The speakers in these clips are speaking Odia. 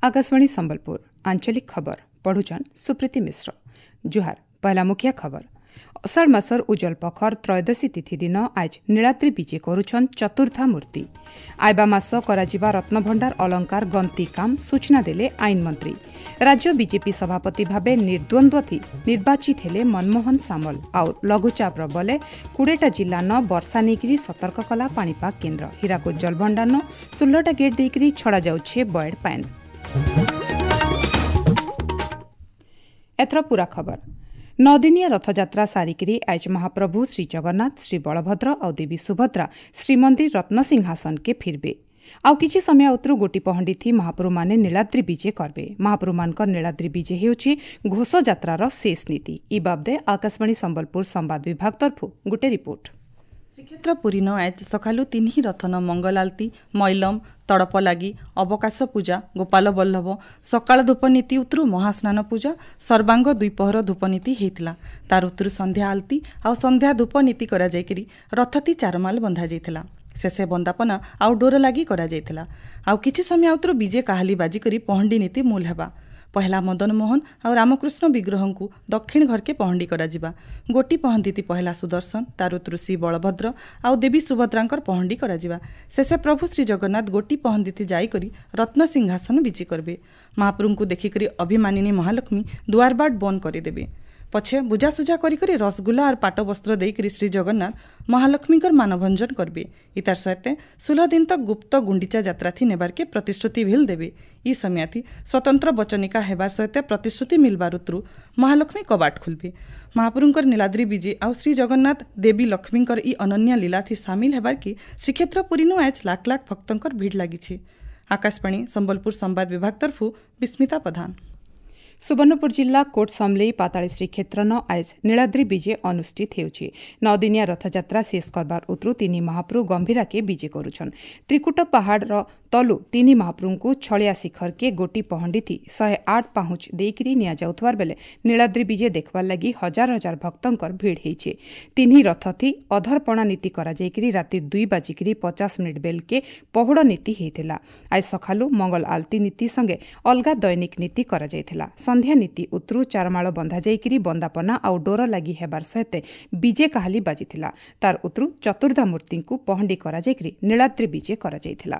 ଆକାଶବାଣୀ ସମ୍ବଲପୁର, ଆଞ୍ଚଳିକ ଖବର ପଢୁଛନ୍ ସୁପ୍ରୀତି ମିଶ୍ର। ଜୁହାର। ପହଲା ମୁଖିଆ ଖବର। ଅଷାଢ଼ ମାସର ଉଜ୍ଜଳ ପଖର ତ୍ରୟୋଦଶୀ ତିଥି ଦିନ ଆଜ ନୀଳାଦ୍ରି ବିଜେ କରୁଛନ୍ ଚତୁର୍ଦ୍ଧା ମୂର୍ତ୍ତି। ଆଇବା ମାସ କରାଯିବା ରତ୍ନଭଣ୍ଡାର ଅଳଙ୍କାର ଗନ୍ତି କାମ, ସୂଚନା ଦେଲେ ଆଇନମନ୍ତ୍ରୀ। ରାଜ୍ୟ ବିଜେପି ସଭାପତି ଭାବେ ନିର୍ଦ୍ୱନ୍ଦ୍ୱ ନିର୍ବାଚିତ ହେଲେ ମନମୋହନ ସାମଲ। ଆଉ ଲଘୁଚାପର ବଲେ 20ଟା ଜିଲ୍ଲାନ ବର୍ଷା ନେଇକରି ସତର୍କ କଲା ପାଣିପାଗ କେନ୍ଦ୍ର। ହୀରାକୁଦ ଜଳଭଣ୍ଡାରନ 16ଟା ଗେଟ୍ ଦେଇକରି ଛଡ଼ାଯାଉଛି ବଏଡ୍ ପାଏନ୍। ଏଥର ପୁରା ଖବର। ନଅଦିନିଆ ରଥଯାତ୍ରା ସାରିକିରି ଆଜ ମହାପ୍ରଭୁ ଶ୍ରୀଜଗନ୍ନାଥ, ଶ୍ରୀ ବଳଭଦ୍ର ଆଉ ଦେବୀ ସୁଭଦ୍ରା ଶ୍ରୀମନ୍ଦିର ରତ୍ନସିଂହାସନକେ ଫିରବେ। ଆଉ କିଛି ସମୟ ଉତରୁ ଗୋଟି ପହଣ୍ଡିଥି ମହାପ୍ରଭୁମାନେ ନୀଳାଦ୍ରି ବିଜେ କରବେ। ମହାପ୍ରଭୁମାନଙ୍କ ନୀଳାଦ୍ରି ବିଜେ ହେଉଛି ଘୋଷଯାତ୍ରାର ଶେଷ ନୀତି। ଇ ବାବଦେ ଆକାଶବାଣୀ ସମ୍ବଲପୁର ସମ୍ବାଦ ବିଭାଗ ତରଫରୁ ଗୋଟେ ରିପୋର୍ଟ। ଶ୍ରୀକ୍ଷେତ୍ର ପୁରୀନ ଆଜ ସକାଳୁ ତିନି ରଥନ ମଙ୍ଗଲ ଆଳତୀ, ମଇଲମ, ତଡ଼ପ ଲାଗି, ଅବକାଶ ପୂଜା, ଗୋପାଳ ବଲ୍ଲଭ, ସକାଳ ଧୂପ ନୀତି ଉତରୁ ମହାସ୍ନାନ ପୂଜା, ସର୍ବାଙ୍ଗ ଦ୍ୱିପହର ଧୂପ ନୀତି ହେଇଥିଲା। ତାର ଉତରୁ ସନ୍ଧ୍ୟା ଆଳତୀ ଆଉ ସନ୍ଧ୍ୟା ଧୂପ ନୀତି କରାଯାଇକରି ରଥତି ଚାରମାଲ ବନ୍ଧାଯାଇଥିଲା। ଶେଷେ ବନ୍ଦାପନା ଆଉ ଡୋର ଲାଗି କରାଯାଇଥିଲା। ଆଉ କିଛି ସମୟ ଉତରୁ ବିଜେ କାହାଲି ବାଜିକରି ପହଣ୍ଡି ନୀତି ମୂଲ ହେବା। ପହଲା ମଦନ ମୋହନ ଆଉ ରାମକୃଷ୍ଣ ବିଗ୍ରହଙ୍କୁ ଦକ୍ଷିଣ ଘରକେ ପହଣ୍ଡି କରାଯିବା। ଗୋଟି ପହନ୍ଦିତି ପହଲା ସୁଦର୍ଶନ, ତାର ଶ୍ରୀ ବଳଭଦ୍ର ଆଉ ଦେବୀ ସୁଭଦ୍ରାଙ୍କର ପହଣ୍ଡି କରାଯିବା। ଶେଷେ ପ୍ରଭୁ ଶ୍ରୀ ଜଗନ୍ନାଥ ଗୋଟି ପହନ୍ଦିତି ଯାଇକରି ରତ୍ନ ସିଂହାସନ ବିଜେ କରିବେ। ମହାପ୍ରଭୁଙ୍କୁ ଦେଖିକରି ଅଭିମାନିନୀ ମହାଲକ୍ଷ୍ମୀ ଦୁଆରବାଟ ବନ୍ଦ କରିଦେବେ। ପଛେ ବୁଝାସୁଝା କରିକରି ରସଗୁଲା ଆର୍ ପାଟ ବସ୍ତ୍ର ଦେଇକରି ଶ୍ରୀ ଜଗନ୍ନାଥ ମହାଲକ୍ଷ୍ମୀଙ୍କର ମାନଭଞ୍ଜନ କରିବେ। ଇତାର ସହିତ 16 ଦିନ ତକ ଗୁପ୍ତ ଗୁଣ୍ଡିଚା ଯାତ୍ରାଥି ନେବାର୍କେ ପ୍ରତିଶ୍ରୁତି ଭିଲ ଦେବେ। ଇ ସମୟାଥି ସ୍ୱତନ୍ତ୍ର ବଚନିକା ହେବାର ସହିତ ପ୍ରତିଶ୍ରୁତି ମିଲବାର ଉତରୁ ମହାଲକ୍ଷ୍ମୀ କବାଟ ଖୋଲବେ। ମହାପ୍ରଭୁଙ୍କର ନୀଳାଦ୍ରି ବିଜେ ଆଉ ଶ୍ରୀ ଜଗନ୍ନାଥ ଦେବୀ ଲକ୍ଷ୍ମୀଙ୍କର ଇ ଅନନ୍ୟ ଲୀଳାଥି ସାମିଲ ହେବାର୍କେ ଶ୍ରୀକ୍ଷେତ୍ର ପୁରୀନୁ ଆଜ ଲାଖ ଲାଖ ଭକ୍ତଙ୍କର ଭିଡ଼ ଲାଗିଛି। ଆକାଶବାଣୀ ସମ୍ବଲପୁର ସମ୍ବାଦ ବିଭାଗ ତରଫରୁ ବିସ୍ମିତା ପ୍ରଧାନ। ସୁବର୍ଣ୍ଣପୁର ଜିଲ୍ଲା କୋଟ ସମଲେଇ ପାତାଳୀ ଶ୍ରୀକ୍ଷେତ୍ରନ ଆଜ ନୀଳାଦ୍ରି ବିଜେ ଅନୁଷ୍ଠିତ ହେଉଛି। ନଅଦିନିଆ ରଥଯାତ୍ରା ଶେଷ କରବାର ଉତରୁ ତିନି ମହାପ୍ରଭୁ ଗମ୍ଭୀରାକେ ବିଜେ କରୁଛନ୍। ତ୍ରିକୁଟ ପାହାଡ଼ର ତଲୁ ତିନି ମହାପ୍ରଭୁଙ୍କୁ ଛଳିଆ ଶିଖରକେ ଗୋଟି ପହଣ୍ଡିଥି 108 ପାହୁଁଚ ଦେଇକରି ନିଆଯାଉଥିବାର ବେଲେ ନୀଳାଦ୍ରି ବିଜେ ଦେଖବାର ଲାଗି ହଜାର ହଜାର ଭକ୍ତଙ୍କର ଭିଡ଼ ହେଇଛେ। ତିନି ରଥଥି ଅଧରପଣା ନୀତି କରାଯାଇକରି ରାତି 2 ବାଜିକିରି 50 ମିନିଟ୍ ବେଲକେ ପହୁଡ଼ ନୀତି ହେଇଥିଲା। ଆଜ ସକାଳୁ ମଙ୍ଗଳ ଆଳତୀ ନୀତି ସଙ୍ଗେ ଅଲଗା ଦୈନିକ ନୀତି କରାଯାଇଥିଲା। ସନ୍ଧ୍ୟା ନୀତି ଉତରୁ ଚାରମାଳ ବନ୍ଧାଯାଇକରି ବନ୍ଦାପନା ଆଉ ଡୋର ଲାଗି ହେବାର ସହିତ ବିଜେ କାହାଲି ବାଜିଥିଲା। ତାର ଉତରୁ ଚତୁର୍ଦ୍ଧା ମୂର୍ତ୍ତିଙ୍କୁ ପହଣ୍ଡି କରାଯାଇକରି ନୀଳାଦ୍ରି ବିଜେ କରାଯାଇଥିଲା।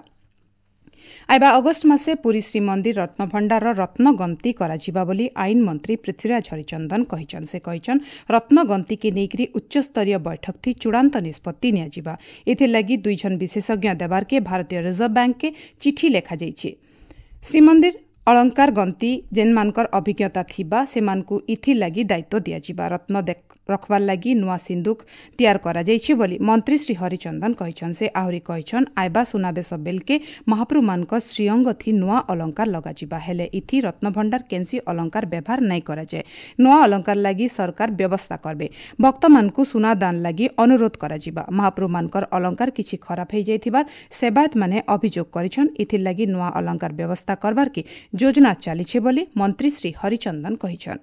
ଆଇବା ଅଗଷ୍ଟ ମାସେ ପୁରୀ ଶ୍ରୀମନ୍ଦିର ରତ୍ନଭଣ୍ଡାରର ରତ୍ନଗନ୍ତି କରାଯିବା ବୋଲି ଆଇନ ମନ୍ତ୍ରୀ ପୃଥ୍ୱୀରାଜ ହରିଚନ୍ଦନ କହିଛନ୍। ସେ କହିଛନ୍, ରତ୍ନଗନ୍ତିକେ ନେଇକରି ଉଚ୍ଚସ୍ତରୀୟ ବୈଠକଥି ଚୂଡ଼ାନ୍ତ ନିଷ୍ପତ୍ତି ନିଆଯିବା। ଏଥିର୍ଲାଗି ଦୁଇଜଣ ବିଶେଷଜ୍ଞ ଦେବାର୍କେ ଭାରତୀୟ ରିଜର୍ଭ ବ୍ୟାଙ୍କକେ ଚିଠି ଲେଖାଯାଇଛି। ଶ୍ରୀମନ୍ଦିର ଅଳଙ୍କାର ଗନ୍ତି ଯେନ୍ମାନଙ୍କର ଅଭିଜ୍ଞତା ଥିବା, ସେମାନଙ୍କୁ ଇଥିର୍ଲାଗି ଦାୟିତ୍ୱ ଦିଆଯିବା। ରତ୍ନ ରଖବାର୍ ଲାଗି ନୂଆ ସିନ୍ଦୁକ ତିଆର କରାଯାଇଛି ବୋଲି ମନ୍ତ୍ରୀ ଶ୍ରୀ ହରିଚନ୍ଦନ କହିଛନ୍। ସେ ଆହୁରି କହିଛନ୍, ଆଇବା ସୁନାବେଶ ବେଲକେ ମହାପ୍ରଭୁମାନଙ୍କ ଶ୍ରୀଅଙ୍ଗଥି ନୂଆ ଅଳଙ୍କାର ଲଗାଯିବା। ହେଲେ ଇଥି ରତ୍ନଭଣ୍ଡାର କେନ୍ସି ଅଳଙ୍କାର ବ୍ୟବହାର ନାଇଁ କରାଯାଏ। ନୂଆ ଅଳଙ୍କାର ଲାଗି ସରକାର ବ୍ୟବସ୍ଥା କରବେ। ଭକ୍ତମାନଙ୍କୁ ସୁନା ଦାନ ଲାଗି ଅନୁରୋଧ କରାଯିବା। ମହାପ୍ରଭୁମାନଙ୍କର ଅଳଙ୍କାର କିଛି ଖରାପ ହେଇଯାଇଥିବାର ସେବାୟତମାନେ ଅଭିଯୋଗ କରିଛନ୍। ଇଥିର୍ଲାଗି ନୂଆ ଅଳଙ୍କାର ବ୍ୟବସ୍ଥା କରବାର୍କେ ଯୋଜନା ଚାଲିছে ବୋଲି ମନ୍ତ୍ରୀ ଶ୍ରୀ ହରିଚନ୍ଦନ କହିଛନ୍।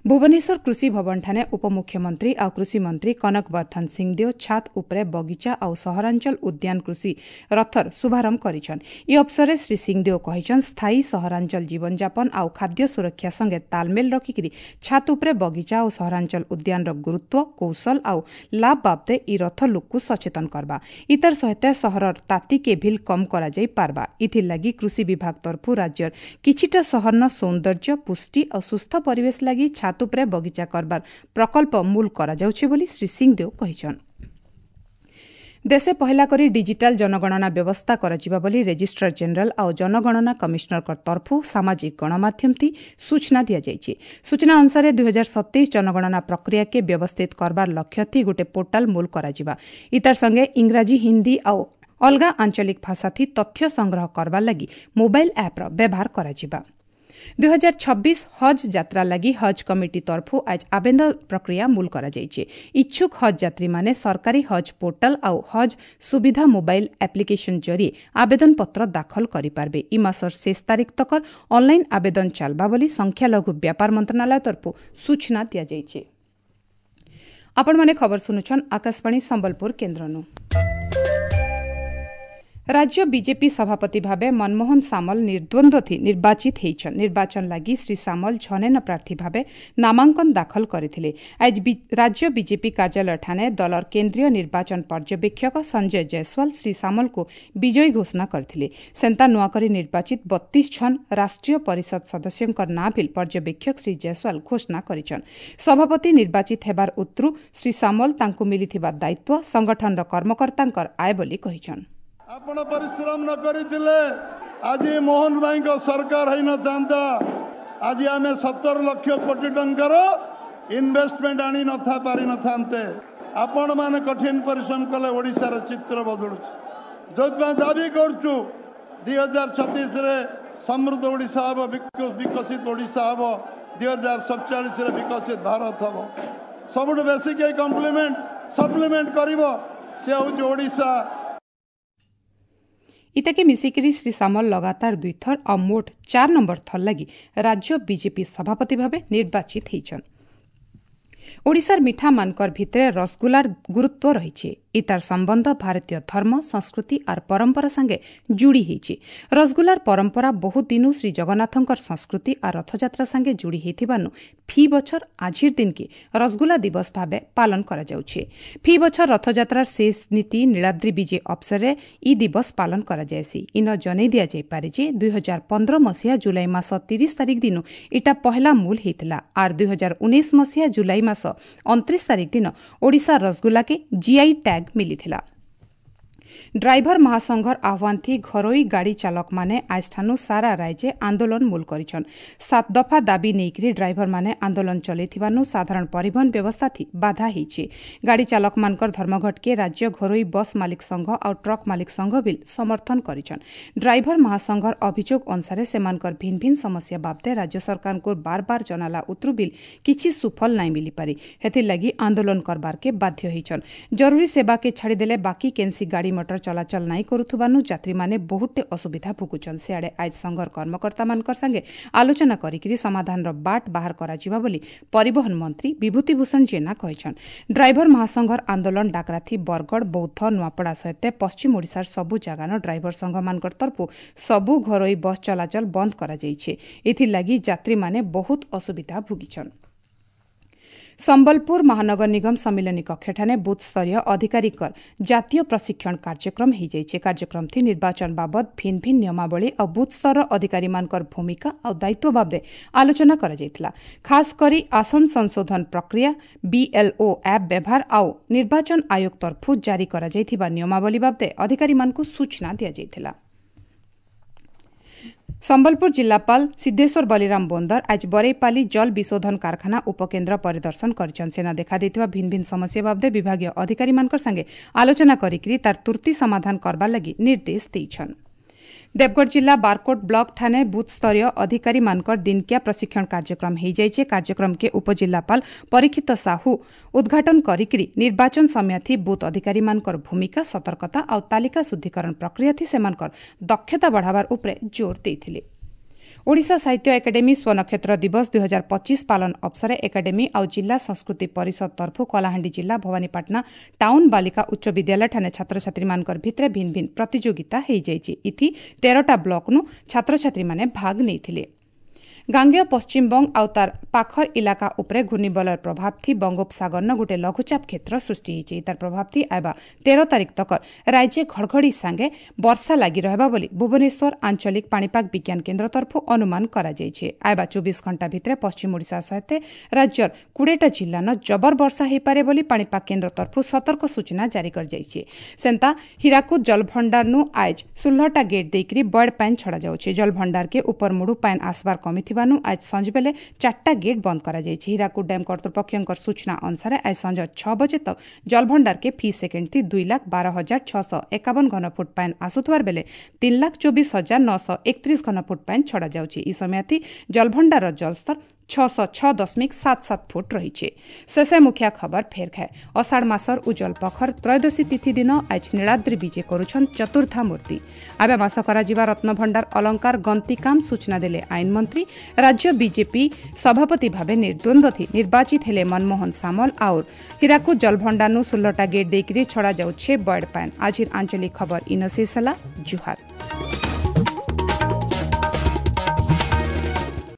ଭୁବନେଶ୍ୱର କୃଷି ଭବନଠାରେ ଉପମୁଖ୍ୟମନ୍ତ୍ରୀ ଆଉ କୃଷିମନ୍ତ୍ରୀ କନକ ବର୍ଦ୍ଧନ ସିଂଦେଓ ଛାତ ଉପରେ ବଗିଚା ଆଉ ସହରାଞ୍ଚଳ ଉଦ୍ୟାନ କୃଷି ରଥର ଶୁଭାରମ୍ଭ କରିଛନ୍। ଏ ଅବସରରେ ଶ୍ରୀ ସିଂଦେଓ କହିଛନ୍, ସ୍ଥାୟୀ ସହରାଞ୍ଚଳ ଜୀବନଯାପନ ଆଉ ଖାଦ୍ୟ ସୁରକ୍ଷା ସଙ୍ଗେ ତାଲମେଲ ରଖିକିରି ଛାତ ଉପରେ ବଗିଚା ଆଉ ସହରାଞ୍ଚଳ ଉଦ୍ୟାନର ଗୁରୁତ୍ୱ, କୌଶଳ ଆଉ ଲାଭ ବାବଦେ ଇ ରଥ ଲୋକକୁ ସଚେତନ କରବା। ଇତାର ସହିତ ସହରର ତାତିକେ ଭିଲ କମ୍ କରାଯାଇ ପାରବା। ଇଥିର୍ଲାଗି କୃଷି ବିଭାଗ ତରଫରୁ ରାଜ୍ୟର କିଛିଟା ସହରର ସୌନ୍ଦର୍ଯ୍ୟ, ପୁଷ୍ଟି ଆଉ ସୁସ୍ଥ ପରିବେଶ ଲାଗି ଛାତ ଉପରେ ବଗିଚା କରବାର ପ୍ରକଳ୍ପ ମୂଲ କରାଯାଉଛି ବୋଲି ଶ୍ରୀ ସିଂଦେଓ କହିଛନ୍। ଦେଶେ ପହିଲା କରି ଡିଜିଟାଲ ଜନଗଣନା ବ୍ୟବସ୍ଥା କରାଯିବା ବୋଲି ରେଜିଷ୍ଟ୍ରାର ଜେନେରାଲ ଆଉ ଜନଗଣନା କମିଶନରଙ୍କ ତରଫରୁ ସାମାଜିକ ଗଣମାଧ୍ୟମଥି ସୂଚନା ଦିଆଯାଇଛି। ସୂଚନା ଅନୁସାରେ 2027 ଜନଗଣନା ପ୍ରକ୍ରିୟାକେ ବ୍ୟବସ୍ଥିତ କରବାର ଲକ୍ଷ୍ୟଥି ଗୋଟେ ପୋର୍ଟାଲ ମୂଲ କରାଯିବା। ଇତାର ସଙ୍ଗେ ଇଂରାଜୀ, ହିନ୍ଦୀ ଆଉ ଅଲଗା ଆଞ୍ଚଳିକ ଭାଷାଥି ତଥ୍ୟ ସଂଗ୍ରହ କରବାର ଲାଗି ମୋବାଇଲ ଆପ୍ର ବ୍ୟବହାର କରାଯିବା। 2026 ହଜ୍ ଯାତ୍ରା ଲାଗି ହଜ୍ କମିଟି ତରଫରୁ ଆଜ ଆବେଦନ ପ୍ରକ୍ରିୟା ମୂଲ କରାଯାଇଛି। ଇଚ୍ଛୁକ ହଜ୍ ଯାତ୍ରୀମାନେ ସରକାରୀ ହଜ୍ ପୋର୍ଟାଲ ଆଉ ହଜ୍ ସୁବିଧା ମୋବାଇଲ ଆପ୍ଲିକେସନ ଜରିଏ ଆବେଦନ ପତ୍ର ଦାଖଲ କରିପାରିବେ। ଇ ମାସର ଶେଷ ତାରିଖ ତକର ଅନଲାଇନ ଆବେଦନ ଚାଲବା ବୋଲି ସଂଖ୍ୟାଲଘୁ ବ୍ୟାପାର ମନ୍ତ୍ରଣାଳୟ ତରଫରୁ ସୂଚନା ଦିଆଯାଇଛି। ଆପଣମାନେ ଖବର ଶୁଣୁଛନ୍ ଆକାଶବାଣୀ ସମ୍ବଲପୁର କେନ୍ଦ୍ରନୁ। ରାଜ୍ୟ ବିଜେପି ସଭାପତି ଭାବେ ମନମୋହନ ସାମଲ ନିର୍ଦ୍ୱନ୍ଦ୍ୱ ନିର୍ବାଚିତ ହେଇଛନ୍। ନିର୍ବାଚନ ଲାଗି ଶ୍ରୀ ସାମଲ ଝନେନ ପ୍ରାର୍ଥୀ ଭାବେ ନାମାଙ୍କନ ଦାଖଲ କରିଥିଲେ। ଆଜି ରାଜ୍ୟ ବିଜେପି କାର୍ଯ୍ୟାଳୟଠାନେ ଦଳର କେନ୍ଦ୍ରୀୟ ନିର୍ବାଚନ ପର୍ଯ୍ୟବେକ୍ଷକ ସଞ୍ଜୟ ଜୟସ୍ୱାଲ ଶ୍ରୀ ସାମଲଙ୍କୁ ବିଜୟୀ ଘୋଷଣା କରିଥିଲେ। ସେନ୍ତା ନୂଆକରି ନିର୍ବାଚିତ 32 ଜଣ ରାଷ୍ଟ୍ରୀୟ ପରିଷଦ ସଦସ୍ୟଙ୍କ ନାଁ ବିଲ୍ ପର୍ଯ୍ୟବେକ୍ଷକ ଶ୍ରୀ ଜୟସ୍ୱାଲ ଘୋଷଣା କରିଛନ୍। ସଭାପତି ନିର୍ବାଚିତ ହେବାର ଉତ୍ତରୁ ଶ୍ରୀ ସାମଲ ତାଙ୍କୁ ମିଳିଥିବା ଦାୟିତ୍ୱ ସଂଗଠନର କର୍ମକର୍ତ୍ତାଙ୍କର ଆୟ ବୋଲି କହିଛନ୍। ଆପଣ ପରିଶ୍ରମ ନ କରିଥିଲେ ଆଜି ମୋହନ ଭାଇଙ୍କ ସରକାର ହେଇନଥାନ୍ତା। ଆଜି ଆମେ 17 ଲକ୍ଷ କୋଟି ଟଙ୍କାର ଇନଭେଷ୍ଟମେଣ୍ଟ ଆଣି ନଥା ପାରିନଥାନ୍ତେ। ଆପଣମାନେ କଠିନ ପରିଶ୍ରମ କଲେ ଓଡ଼ିଶାର ଚିତ୍ର ବଦଳୁଛି। ଯେଉଁଥିପାଇଁ ଦାବି କରୁଛୁ 2036ରେ ସମୃଦ୍ଧ ଓଡ଼ିଶା ହେବ, ବିକଶିତ ଓଡ଼ିଶା ହେବ, 2047ରେ ବିକଶିତ ଭାରତ ହେବ। ସବୁଠୁ ବେଶୀ କେହି କମ୍ପ୍ଲିମେଣ୍ଟ ସପ୍ଲିମେଣ୍ଟ କରିବ ସେ ହେଉଛି ଓଡ଼ିଶା। ଇତାକେ ମିଶିକିରି ଶ୍ରୀ ସାମଲ ଲଗାତାର ଦୁଇଥର ଆଉ ମୋଟ 4 ନମ୍ବର ଥର ଲାଗି ରାଜ୍ୟ ବିଜେପି ସଭାପତି ଭାବେ ନିର୍ବାଚିତ ହେଇଛନ୍। ଓଡ଼ିଶାର ମିଠାମାନଙ୍କର ଭିତରେ ରସଗୋଲାର ଗୁରୁତ୍ୱ ରହିଛି। ଇତାର ସମ୍ବନ୍ଧ ଭାରତୀୟ ଧର୍ମ, ସଂସ୍କୃତି ଆର୍ ପରମ୍ପରା ସାଙ୍ଗେ ଯୋଡ଼ି ହେଇଛି। ରସଗୋଲାର ପରମ୍ପରା ବହୁତ ଦିନୁ ଶ୍ରୀ ଜଗନ୍ନାଥଙ୍କର ସଂସ୍କୃତି ଆର୍ ରଥଯାତ୍ରା ସାଙ୍ଗେ ଯୋଡ଼ି ହେଇଥିବାନୁ ଫି ବଛର ଆଜିର ଦିନକେ ରସଗୋଲା ଦିବସ ଭାବେ ପାଳନ କରାଯାଉଛି। ଫି ବଛର ରଥଯାତ୍ରାର ଶେଷ ନୀତି ନୀଳାଦ୍ରି ବିଜେ ଅବସରରେ ଇ ଦିବସ ପାଳନ କରାଯାଏସି। ଇନ ଜନେଇ ଦିଆଯାଇପାରେ ଯେ 2015 ମସିହା ଜୁଲାଇ ମାସ 30 ତାରିଖ ଦିନୁ ଇଟା ପହଲା ମୂଲ ହେଇଥିଲା ଆର୍ 2019 ମସିହା ଜୁଲାଇ ମାସ 29 ତାରିଖ ଦିନ ଓଡ଼ିଶା ରସଗୋଲାକେ ଜିଆଇ ଟ୍ୟାଗ୍ ମିଳିଥିଲା। ଡ୍ରାଇଭର ମହାସଂଘର ଆହ୍ୱାନ ଥି ଘରୋଇ ଗାଡ଼ି ଚାଲକମାନେ ଆଜଠାନୁ ସାରା ରାଜ୍ୟ ଆନ୍ଦୋଳନ ମୂଲ କରିଛନ୍। 7 ଦଫା ଦାବି ନେଇକରି ଡ୍ରାଇଭରମାନେ ଆନ୍ଦୋଳନ ଚଲେଇଥିବାନୁ ସାଧାରଣ ପରିବହନ ବ୍ୟବସ୍ଥା ଥି ବାଧା ହେଇଛି। ଗାଡ଼ି ଚାଲକମାନଙ୍କର ଧର୍ମଘଟକେ ରାଜ୍ୟ ଘରୋଇ ବସ୍ ମାଲିକ ସଂଘ ଆଉ ଟ୍ରକ୍ ମାଲିକ ସଂଘ ବିଲ୍ ସମର୍ଥନ କରିଛନ୍। ଡ୍ରାଇଭର ମହାସଂଘର ଅଭିଯୋଗ ଅନୁସାରେ ସେମାନଙ୍କର ଭିନ୍ନ ଭିନ୍ନ ସମସ୍ୟା ବାବଦେ ରାଜ୍ୟ ସରକାରଙ୍କୁ ବାର ବାର ଜନାଲା ଉତରୁ ବିଲ୍ କିଛି ସୁଫଳ ନାଇଁ ମିଳିପାରି, ହେଥିର୍ଲାଗି ଆନ୍ଦୋଳନ କରବାରକେ ବାଧ୍ୟ ହେଇଛନ୍। ଜରୁରୀ ସେବାକେ ଛାଡ଼ିଦେଲେ ବାକି କେନ୍ସି ଗାଡ଼ି ମଟର ଚଳାଚଳ ନାଇଁ କରୁଥିବାନୁ ଯାତ୍ରୀମାନେ ବହୁତଟେ ଅସୁବିଧା ଭୋଗୁଛନ୍। ସିଆଡ଼େ ଆଜ ସଂଘର କର୍ମକର୍ତ୍ତାମାନଙ୍କର ସାଙ୍ଗେ ଆଲୋଚନା କରିକିରି ସମାଧାନର ବାଟ ବାହାର କରାଯିବା ବୋଲି ପରିବହନ ମନ୍ତ୍ରୀ ବିଭୂତି ଭୂଷଣ ଜେନା କହିଛନ୍। ଡ୍ରାଇଭର ମହାସଂଘର ଆନ୍ଦୋଳନ ଡାକରାଥି ବରଗଡ଼, ବୌଦ୍ଧ, ନୂଆପଡ଼ା ସହିତ ପଶ୍ଚିମ ଓଡ଼ିଶାର ସବୁ ଜାଗାନ ଡ୍ରାଇଭର ସଂଘମାନଙ୍କର ତରଫରୁ ସବୁ ଘରୋଇ ବସ୍ ଚଳାଚଳ ବନ୍ଦ କରାଯାଇଛି। ଏଥିଲାଗି ଯାତ୍ରୀମାନେ ବହୁତ ଅସୁବିଧା ଭୋଗିଛନ୍। ସମ୍ବଲପୁର ମହାନଗର ନିଗମ ସମ୍ମିଳନୀ କକ୍ଷଠାନେ ବୁଥ୍ ସ୍ତରୀୟ ଅଧିକାରୀଙ୍କର ଜାତୀୟ ପ୍ରଶିକ୍ଷଣ କାର୍ଯ୍ୟକ୍ରମ ହେଇଯାଇଛି। କାର୍ଯ୍ୟକ୍ରମ ଥି ନିର୍ବାଚନ ବାବଦ ଭିନ୍ନ ଭିନ୍ନ ନିୟମାବଳୀ ଆଉ ବୁଥ୍ ସ୍ତରର ଅଧିକାରୀମାନଙ୍କର ଭୂମିକା ଆଉ ଦାୟିତ୍ୱ ବାବଦେ ଆଲୋଚନା କରାଯାଇଥିଲା। ଖାସ୍ କରି ଆସନ ସଂଶୋଧନ ପ୍ରକ୍ରିୟା, ବିଏଲ୍ଓ ଆପ୍ ବ୍ୟବହାର ଆଉ ନିର୍ବାଚନ ଆୟୋଗ ତରଫରୁ ଜାରି କରାଯାଇଥିବା ନିୟମାବଳୀ ବାବଦେ ଅଧିକାରୀମାନଙ୍କୁ ସୂଚନା ଦିଆଯାଇଥିଲା। ସମ୍ବଲପୁର ଜିଲ୍ଲାପାଳ ସିଦ୍ଧେଶ୍ୱର ବଲିରାମ ବୋନ୍ଦର ଆଜି ବରେଇପାଲି ଜଳ ବିଶୋଧନ କାରଖାନା ଉପକେନ୍ଦ୍ର ପରିଦର୍ଶନ କରିଛନ୍। ସେନ ଦେଖାଦେଇଥିବା ଭିନ୍ନ ଭିନ୍ନ ସମସ୍ୟା ବାବଦେ ବିଭାଗୀୟ ଅଧିକାରୀମାନଙ୍କ ସାଙ୍ଗେ ଆଲୋଚନା କରିକିରି ତାର ତୁର୍ତି ସମାଧାନ କରବାର ଲାଗି ନିର୍ଦ୍ଦେଶ ଦେଇଛନ୍। ଦେବଗଡ଼ ଜିଲ୍ଲା ବାରକୋଟ ବ୍ଲକ ଠାନେ ବୁଥ୍ ସ୍ତରୀୟ ଅଧିକାରୀମାନଙ୍କର ଦିନକିଆ ପ୍ରଶିକ୍ଷଣ କାର୍ଯ୍ୟକ୍ରମ ହେଇଯାଇଛି। କାର୍ଯ୍ୟକ୍ରମକେ ଉପଜିଲ୍ଲାପାଳ ପରୀକ୍ଷିତ ସାହୁ ଉଦ୍ଘାଟନ କରିକିରି ନିର୍ବାଚନ ସମୟଥି ବୁଥ୍ ଅଧିକାରୀମାନଙ୍କର ଭୂମିକା, ସତର୍କତା ଆଉ ତାଲିକା ଶୁଦ୍ଧିକରଣ ପ୍ରକ୍ରିୟାଥି ସେମାନଙ୍କର ଦକ୍ଷତା ବଢ଼ାବାର ଉପରେ ଜୋର ଦେଇଥିଲେ। ଓଡ଼ିଶା ସାହିତ୍ୟ ଏକାଡେମୀ ସ୍ୱନକ୍ଷତ୍ର ଦିବସ 2025 ପାଳନ ଅବସରେ ଏକାଡେମୀ ଆଉ ଜିଲ୍ଲା ସଂସ୍କୃତି ପରିଷଦ ତରଫରୁ କଳାହାଣ୍ଡି ଜିଲ୍ଲା ଭବାନୀପାଟଣା ଟାଉନ୍ ବାଲିକା ଉଚ୍ଚ ବିଦ୍ୟାଳୟଠାନେ ଛାତ୍ରଛାତ୍ରୀମାନଙ୍କର ଭିତରେ ଭିନ୍ନ ଭିନ୍ନ ପ୍ରତିଯୋଗିତା ହେଇଯାଇଛି। ଇଥି 13ଟା ବ୍ଲକନୁ ଛାତ୍ରଛାତ୍ରୀମାନେ ଭାଗ ନେଇଥିଲେ। ଗାଙ୍ଗେୟ ପଶ୍ଚିମବଙ୍ଗ ଆଉ ତାର ପାଖର ଇଲାକା ଉପରେ ଘୂର୍ଣ୍ଣିବଳୟର ପ୍ରଭାବ ଥି ବଙ୍ଗୋପସାଗରନ ଗୋଟେ ଲଘୁଚାପ କ୍ଷେତ୍ର ସୃଷ୍ଟି ହେଇଛି। ତାର ପ୍ରଭାବ ଥି ଆଇବା 13 ତାରିଖ ତକ ରାଜ୍ୟ ଘଡ଼ଘଡ଼ି ସାଙ୍ଗେ ବର୍ଷା ଲାଗି ରହିବା ବୋଲି ଭୁବନେଶ୍ୱର ଆଞ୍ଚଳିକ ପାଣିପାଗ ବିଜ୍ଞାନ କେନ୍ଦ୍ର ତରଫରୁ ଅନୁମାନ କରାଯାଇଛି। ଆଇବା 24 ଘଣ୍ଟା ଭିତରେ ପଶ୍ଚିମ ଓଡ଼ିଶା ସହିତ ରାଜ୍ୟର 20ଟା ଜିଲ୍ଲାନ ଜବର ବର୍ଷା ହୋଇପାରେ ବୋଲି ପାଣିପାଗ କେନ୍ଦ୍ର ତରଫରୁ ସତର୍କ ସୂଚନା ଜାରି କରାଯାଇଛି। ସେନ୍ତା ହୀରାକୁଦ ଜଳଭଣ୍ଡାରନୁ ଆଇଜ 16ଟା ଗେଟ୍ ଦେଇକରି ବଡ଼ ପାନ୍ ଛଡ଼ାଯାଉଛି। ଜଳଭଣ୍ଡାରକେ ଉପର ମୁଡୁ ପାନ୍ ଆସବାର କମିଥିବା ଆଜ ସଞ୍ଜ ବେଲେ 4ଟା ଗେଟ୍ ବନ୍ଦ କରାଯାଇଛି। ହୀରାକୁଦ ଡ୍ୟାମ୍ କର୍ତ୍ତୃପକ୍ଷଙ୍କ ସୂଚନା ଅନୁସାରେ ଆଜ ସଞ୍ଜ 6 ବଜେ ତକ ଜଳଭଣ୍ଡାରକେ ଫି ସେକେଣ୍ଡ ଥି 2,12,651 ଘନଫୁଟ ପାନ୍ ଆସୁଥିବାର ବେଲେ 3,24,931 ଘନଫୁଟ ପାନ୍ ଛଡ଼ାଯାଉଛି। ଇ ସମୟଥି ଜଳଭଣ୍ଡାରର ଜଳସ୍ତର 606.77 ଫୁଟ ରହିଛେ। ଶେଷେ ମୁଖିଆ ଖବର ଫେର ଖାଏ। ଅଷାଢ଼ ମାସର ଉଜ୍ଜଳ ପଖର ତ୍ରୟୋଦଶୀ ତିଥି ଦିନ ଆଜ ନୀଳାଦ୍ରି ବିଜେ କରୁଛନ୍ ଚତୁର୍ଦ୍ଧା ମୂର୍ତ୍ତି। ଆବେ ମାସ କରାଯିବା ରତ୍ନଭଣ୍ଡାର ଅଳଙ୍କାର ଗନ୍ତି କାମ ସୂଚନା ଦେଲେ ଆଇନ ମନ୍ତ୍ରୀ। ରାଜ୍ୟ ବିଜେପି ସଭାପତି ଭାବେ ନିର୍ଦ୍ୱନ୍ଦ୍ୱ ନିର୍ବାଚିତ ହେଲେ ମନମୋହନ ସାମଲ। ଆଉର ହୀରାକୁଦ ଜଳଭଣ୍ଡାରନୁ 16ଟା ଗେଟ୍ ଦେଇକରି ଛଡ଼ାଯାଉଛେ ବଏଡ୍ ପାଏନ୍। ଆଜିର ଆଞ୍ଚଳିକ ଖବର ଇନ ଶେଷ ହେଲା। ଜୁହାର।